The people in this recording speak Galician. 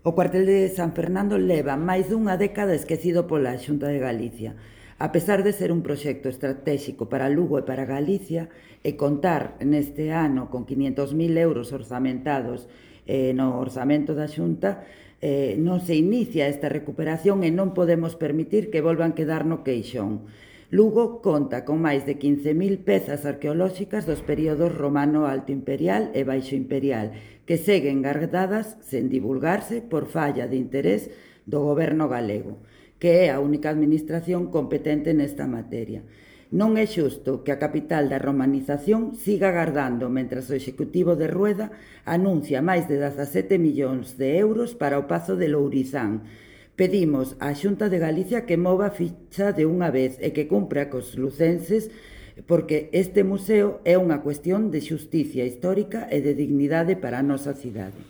O cuartel de San Fernando leva máis dunha década esquecido pola Xunta de Galicia. A pesar de ser un proxecto estratéxico para Lugo e para Galicia e contar neste ano con 500.000 euros orzamentados no orzamento da Xunta, non se inicia esta recuperación e non podemos permitir que volvan quedar no queixón. Lugo conta con máis de 15.000 pezas arqueolóxicas dos períodos romano alto imperial e baixo imperial, que seguen gardadas sen divulgarse por falla de interés do goberno galego, que é a única administración competente nesta materia. Non é xusto que a capital da romanización siga agardando mentras o Executivo de Rueda anuncia máis de 17 millóns de euros para o Pazo de Lourizán. Pedimos á Xunta de Galicia que mova a ficha de unha vez e que cumpra cos lucenses, porque este museo é unha cuestión de xusticia histórica e de dignidade para a nosa cidade.